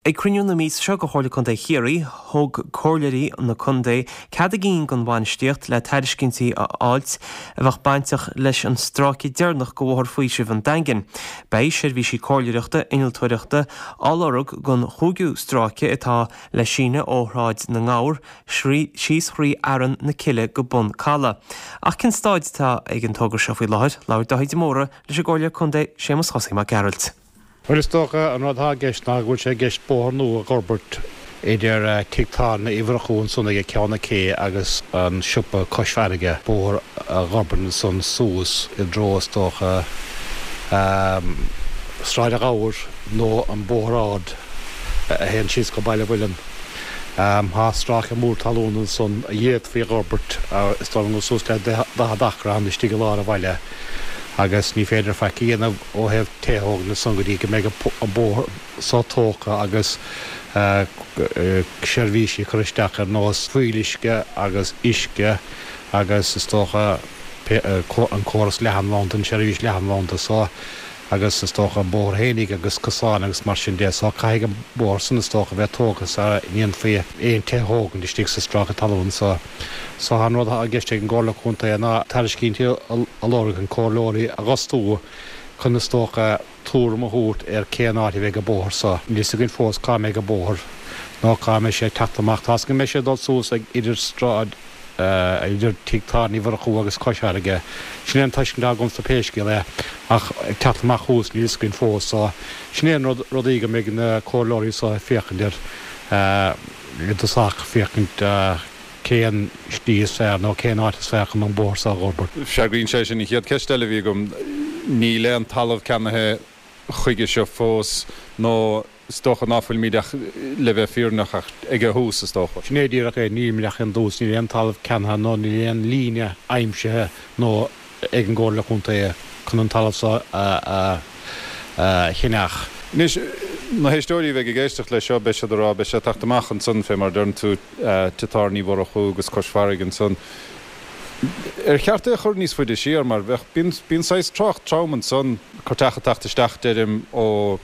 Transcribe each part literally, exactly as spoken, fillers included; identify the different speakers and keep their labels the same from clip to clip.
Speaker 1: Ag cruinniú na míosa seo de Chomhairle Contae Chiarraí, thug comhairleoirí na contae cead a gcinn don bhainistíocht le tairiscintí a fháilt a bheadh bainteach leis an stráice deireanach de Bhóthar Faoisimh an Daingin. Beidh seirbhísí comhairleoireachta innealtóireachta á lorg don chúigiú stráice atá le síneadh ó Shráid na nGabhar síos thrí Fhearann na Cille go Bun Calaidh. Ach cén staid atá ag an togra seo faoi láthair? Labhair Dáithí de Mórdha leis an gcomhairleoir contae Séamus Chosaí Mac Gearailt.
Speaker 2: Bhuel, is dócha an rud atá i gceist ná go bhfuil sé i gceist bóthar nua a dh'fhorbairt idir Tigh Tábhairne Uí Mhurchú ansan ag Ceann na Cé agus an siopa cois farraige, bóthar a dh'fhorbairt ansan suas i dtreo is dócha Sráid an Ghabhair nó an Bóthar Ard a théann síos go Baile Mhuilinn. Tá stráice mór talún ansan a d'fhéadfaí a dh'fhorbairt, is dóigh liom gur suas le daichead acra ann istigh i lár an bhaile. Agus ní féidir faic a dhéanamh ó thaobh tithe a thógaint ansan go dtí go mbeidh an bóthar so tógtha agus seirbhísí curtha isteach ar nós fuíolluisce agus uisce agus is dócha an córas leathanbhanda, an tseirbhís leathanbhanda so agus is dócha an bóthar fhéinig agus cosáin agus mar sin de. So caithfidh an bóthar san is dócha a bheith tógtha sara ndéanfaí aon tithe a thógaint istigh sa stráice talún so. So an rud atá i gceist ag an gComhairle Contae ná tairiscintí a lorg chun comhairleoirí a dh'fhostú chun is dócha tuairim a thabhairt ar cén áit a bheidh an bóthar so. Níl fhios againn fós cá mbeidh an bóthar nó cá mbeidh sé ag teacht amach. Tá's go mbeidh sé ag dul suas ag idir Sráid idir Tigh Tábhairne Uí Mhurchú agus Cois Fharraige. Sin é an tuiscint atá agamsa pé scéal é, ach ag teacht amach thuas níl fhios againn fós. So, sin é an rud, rudaí go mbeidh na comhairleoirí so ag féachaint air i dtosach, féachaint cén slí is fearr nó cén áit is fearr chun an bóthar so a dh'fhorbairt.
Speaker 3: Freagraíonn sé sin an chéad cheist eile a bhí agam. Níl aon talamh ceannaithe chuige seo fós nó is dócha ná fuilimid ach, le bheith fírinneach, ach ag a thús, is dócha.
Speaker 2: Sin é díreach é, nílimid ach ag an dtús, níl aon talamh ceannaithe nó níl aon líne aimsithe nó ag an gComhairle Chontae chun an talamh seo a cheannach.
Speaker 3: Anois, na héisteoirí a bheidh ag éisteacht leis seo, beidh siad ag rá, beidh sé ag teacht amach ansan, fé mar a deireann tú, Tigh Tábhairne Uí Mhurchú agus cois farraige ansan. Ar cheart é a chur níos faide siar mar bheadh, bíonn, bíonn saghas trácht trom ansan, cuairteach ag teacht isteach deirim ó,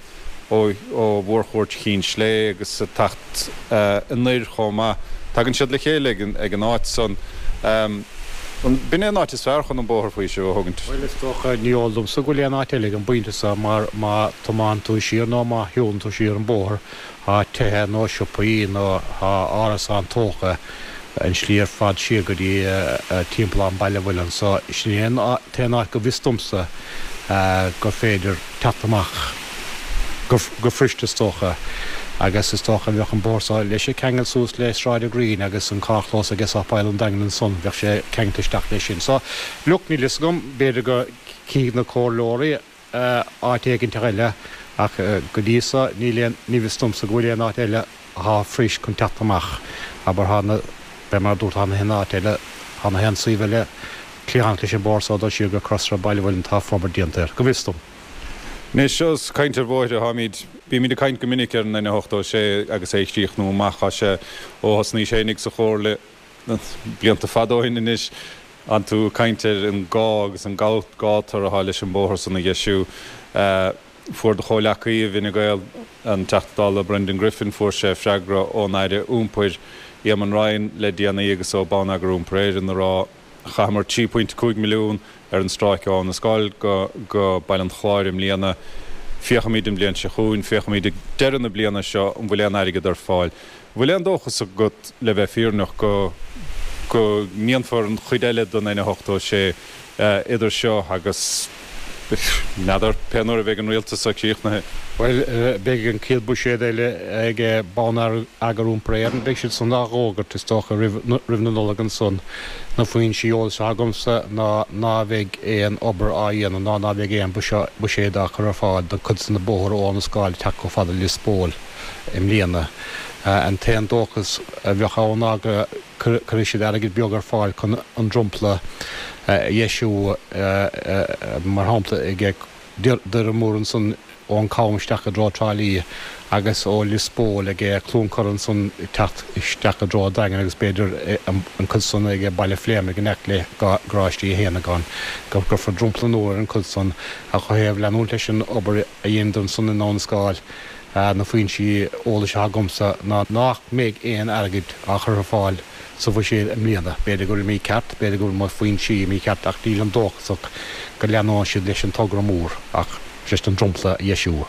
Speaker 3: ó, ó mhórchuairt Chinn Slé agus ag teacht anoir chomh maith. Tagann siad le chéile ag an, ag an áit san. An, b'in é an áit is fearr chun an bóthar faoisimh a thógaint?
Speaker 2: Bhuel is dócha, ní eol domsa go bhfuil aon áit eile ag an bpointe seo mar má thiomáin tú siar nó má shiúlann tú siar an bóthar tá tithe nó siopaí nó tá árasáin tógtha an slí ar fad siar go dtí timpeallán Baile Mhuilinn so sin é an t-aon áit go bhfios domsa gur féidir teacht amach go fuirist is dócha agus is dócha bheadh an bóthar so leis ag ceangal suas le Sráid an Ghreen agus an carrchlós ag Sáipéal an Daingin ansan bheadh sé ceangailte isteach leis sin so look níl fhios agam b'fhéidir go gcífidh na comhairleoirí áit éiginteach eile ach go dtí so níl aon ní fios domsa go bhfuil aon áit eile athá fuirist chun teacht amach. Abair thá na, fé mar a dúrt thá na haon áit eile, thá na haon suíomh eile cliathánach leis an bóthar so dul siar go Crosaire Baile Mhuilinn tá forbairt déanta air, go bhfios dom.
Speaker 3: Anois ós caint ar bhóithre atáimid, bímid ag caint go minic ar an N ochtó a sé agus é a chríochnú amach. Tá sé ó thosnaís fhéinig sa Chomhairle blianta fada ó shin anois, An tú ag caint ar an gá agus an gátar atá leis an bóthar san a dheisiú. Fuair do chomhleacaí i bhFine Gael, an Teachta Dála Brendan Griffin, fuair sé freagra ón Aire Iompair, Eamon Ryan, le déanaí agus ó Bonneagar Iompair Éireann a rá, Chaitheamar trí phointe cúig milliún ar an stráice ó Abha na Scáil go go Baile an Chláir i mbliana. Féachfaimid an bhliain seo chugainn, féachfaimid ag deireadh na bliana seo an bhfuil aon airgead ar fáil. Bhfuil aon dóchas agat, le bheith fírinneach, go go ndéanfar an chuid eile den N ochtó a sé idir seo agus, n'fheadar, pé nuair a bheidh an rialtas seo críochnaithe?
Speaker 2: Bhuel, beidh an chéad bhuiséad eile ag Bonneagar Iompair Éireann, beidh siad san á dh'fhógairt, is dócha, roimh roimh na Nollag ansan. Na foinsí eolais atá agamsa ná ná bheidh aon obair á dhéanamh ná ná beidh aon buiséad á chur ar fáil don chuid de na bóthar ó Abha na Scáil ag teacht chomh fada le Lios Póil. i mbliana. An t-aon dóchas a bheadh ann ná go gcuirfidh siad airgead beag ar fáil chun an dromchla a dheisiú, mar shampla ag Doire Mór ansan ón Cam isteach i dtreo Trá Lí agus ó Lios Póil ag Cluain Corra ansan ag teacht isteach i dtreo an Daingin agus b'fhéidir an cuid san ag Baile Phléimeannaigh in aice le Garáistí Uí Shéanagáin, go gcuirfear dromchla nua ar an chuid san ach ó thaobh leanúint leis an obair a dheineadar ansan in Abha na Scáil. Na foinsí eolais atá agamsa ná nach mbeidh aon airgead á chur ar fáil sa bhuiséad i mbliana. B'fhéidir go bhfuil mícheart, b'fhéidir go bhfuil mo foinsí mícheart ach nílim dóchasach go leanóidh siad leis an togra mór ach just an dromchla a dheisiú.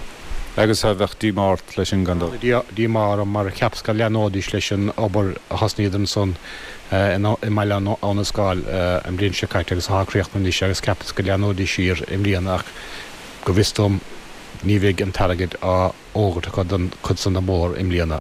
Speaker 3: Agus a bheadh díomá ort leis sin gan dabht?
Speaker 2: Díomá orm mar cheapas go leanóidís leis an obair a thosnaíodar ansan i mBaile Abhna Scáil an bhliain seo caite agus atá críochnaithe anois agus cheapas go leanóidís siar i mbliana ach go bhfios dom ní bheidh an t-airgead á fhógairt acu don chuid san den bhóthar i mbliana.